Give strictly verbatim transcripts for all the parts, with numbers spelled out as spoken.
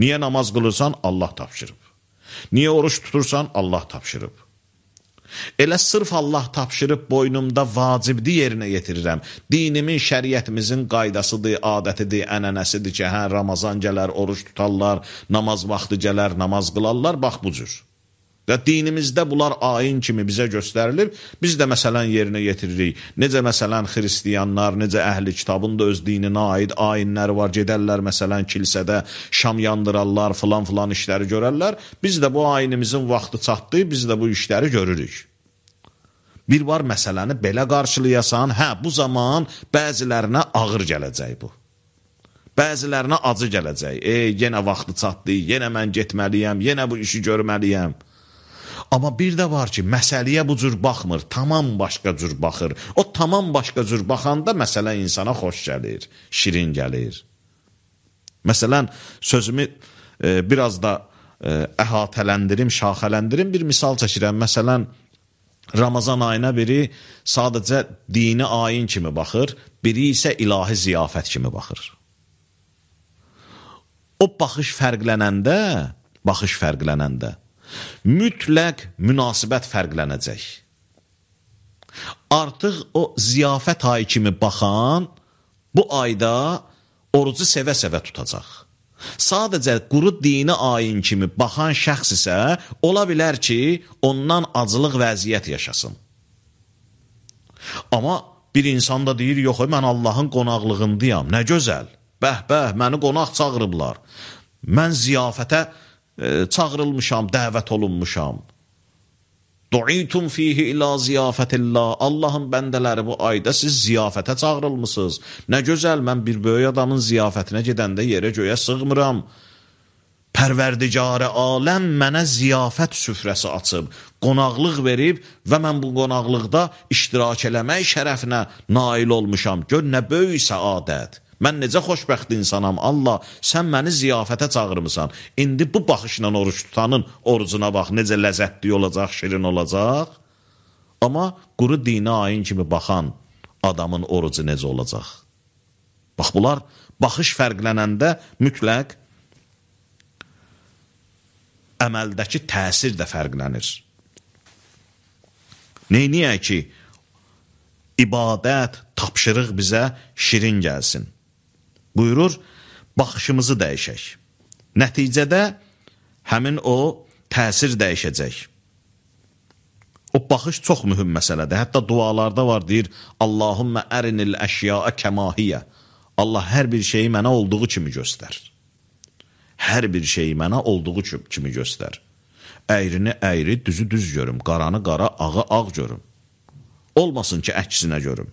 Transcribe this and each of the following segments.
Niyə namaz qılırsan? Allah tapşırıb. Niyə oruç tutursan? Allah tapşırıb. Elə sırf Allah tapşırıb boynumda vacibdir yerinə yetirirəm. Dinimin, şəriətimizin qaydasıdır, adətidir, ənənəsidir ki, hə, Ramazan gələr, oruç tutarlar, namaz vaxtı gələr, namaz qılarlar, bax bu cür. Və dinimizdə bunlar ayin kimi bizə göstərilir, biz də məsələn yerinə yetiririk. Necə məsələn xristiyanlar, necə əhli kitabın da öz dininə aid ayinləri var, gedərlər məsələn kilsədə, şam yandırarlar, filan filan işləri görərlər. Biz də bu ayinimizin vaxtı çatdı, biz də bu işləri görürük. Bir var məsələni belə qarşılayasan, hə, bu zaman bəzilərinə ağır gələcək bu. Bəzilərinə acı gələcək. Ey, yenə vaxtı çatdı, yenə mən getməliyəm, yenə bu işi görməliyəm. Amma bir də var ki, məsələyə bu cür baxmır, tamam başqa cür baxır. O tamam başqa cür baxanda məsələ insana xoş gəlir, şirin gəlir. Məsələn, sözümü e, biraz da e, əhatələndirim, şaxələndirim, bir misal çəkirəm. Məsələn, Ramazan ayına biri sadəcə dini ayin kimi baxır, biri isə ilahi ziyafət kimi baxır. O baxış fərqlənəndə, baxış fərqlənəndə, mütləq münasibət fərqlənəcək. Artıq o ziyafət ayı kimi baxan bu ayda orucu sevə-sevə tutacaq. Sadəcə quru dini ayin kimi baxan şəxs isə ola bilər ki, ondan acılıq vəziyyət yaşasın. Amma bir insan da deyir, yox, mən Allahın qonaqlığındayam, nə gözəl, bəh-bəh, məni qonaq çağırıblar. Mən ziyafətə e, çağırılmışam, dəvət olunmuşam. Du'itum fihi ila ziyafətillah. Allahın bəndələri bu ayda siz ziyafətə çağırılmısınız. Nə gözəl, mən bir böyük adamın ziyafətinə gedəndə yerə göyə sığmıram. Pərverdigarə aləm mənə ziyafət süfrəsi açıb, qonaqlıq verib və mən bu qonaqlıqda iştirak eləmək şərəfinə nail olmuşam. Gör, nə böyük səadət. Mən necə xoşbəxt insanam, Allah, sən məni ziyafətə çağırmısan. İndi bu baxışla oruç tutanın orucuna bax, necə ləzzətli olacaq, şirin olacaq. Amma quru dini ayin kimi baxan adamın orucu necə olacaq? Bax, bunlar baxış fərqlənəndə mütləq əməldəki təsir də fərqlənir. Neyniyək ki, ibadət, tapşırıq bizə şirin gəlsin. Buyurur, baxışımızı dəyişək. Nəticədə həmin o təsir dəyişəcək. O baxış çox mühüm məsələdir. Hətta dualarda var, deyir, Allahümmə ərinil əşyaə kəmahiyyə. Allah hər bir şeyi mənə olduğu kimi göstər. Hər bir şeyi mənə olduğu kimi göstər. Əyrini əyri, düzü düz görüm, qaranı qara, ağı ağ görüm. Olmasın ki, əksinə görüm.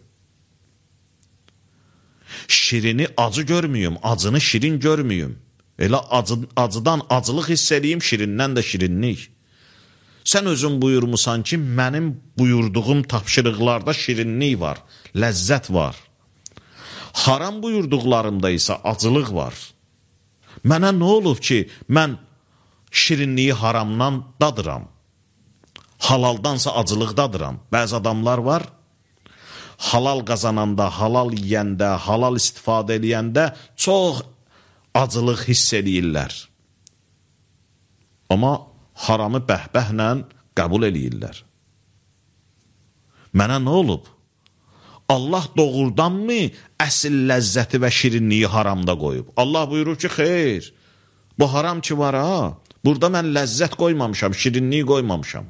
Şirini acı görməyim, acını şirin görməyim. Elə acı, acıdan acılıq hiss edeyim, şirindən də şirinlik. Sən özün buyurmusan ki, mənim buyurduğum tapşırıqlarda şirinlik var, ləzzət var. Haram buyurduqlarımda isə acılıq var. Mənə nə olub ki, mən şirinliyi haramdan dadıram, halaldansa acılıq dadıram. Bəzi adamlar var, halal qazananda, halal yiyəndə, halal istifadə eləyəndə çox acılıq hiss eləyirlər. Amma haramı bəhbəhlə qəbul eləyirlər. Mənə nə olub? Allah doğrudanmı əsl ləzzəti və şirinliyi haramda qoyub? Allah buyurur ki, xeyr, bu haram ki var ha, burada mən ləzzət qoymamışam, şirinliyi qoymamışam.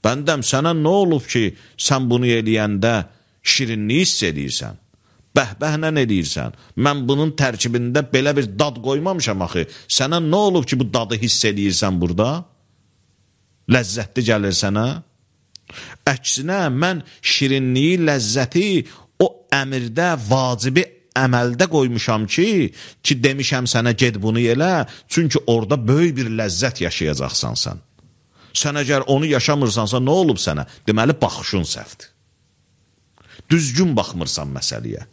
Bəndəm, sənə nə olub ki, sən bunu eləyəndə şirinliyi hiss edirsən, bəhbəhlə edirsən, mən bunun tərkibində belə bir dad qoymamışam axı, sənə nə olub ki, bu dadı hiss edirsən burada? Ləzzətli gəlir sənə? Əksinə, mən şirinliyi, ləzzəti o əmirdə, vacibi əməldə qoymuşam ki, ki demişəm sənə ged bunu elə, çünki orada böyük bir ləzzət yaşayacaqsan sən. Sən əgər onu yaşamırsansa, nə olub sənə? Deməli, baxışın səhvdir. Düzgün baxmırsan məsələyə.